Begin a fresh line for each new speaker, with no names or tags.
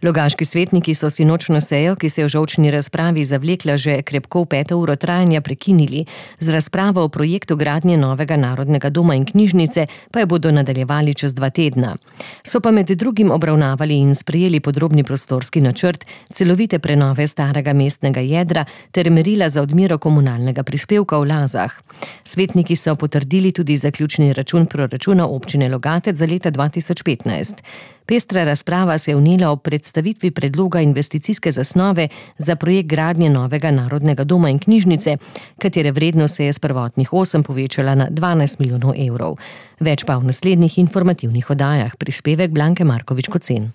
Logaški svetniki so sinočno sejo, ki se je v žolčni razpravi zavlekla že krepko v 5. uro trajanja, prekinili. Z razpravo o projektu gradnje novega narodnega doma in knjižnice pa jo bodo nadaljevali čez 2 tedna. So pa med drugim obravnavali in sprejeli podrobni prostorski načrt, celovite prenove starega mestnega jedra ter merila za odmero komunalnega prispevka v Lazah. Svetniki so potrdili tudi zaključni račun proračuna občine Logatec za leta 2015. Pestra razprava se je vnela ob predstavitvi predloga investicijske zasnove za projekt gradnje novega narodnega doma in knjižnice, katere vrednost se je s prvotnih 8 povečala na 12 milijonov evrov. Več pa v naslednjih informativnih oddajah. Prispevek Blanke Markovič-Kocen.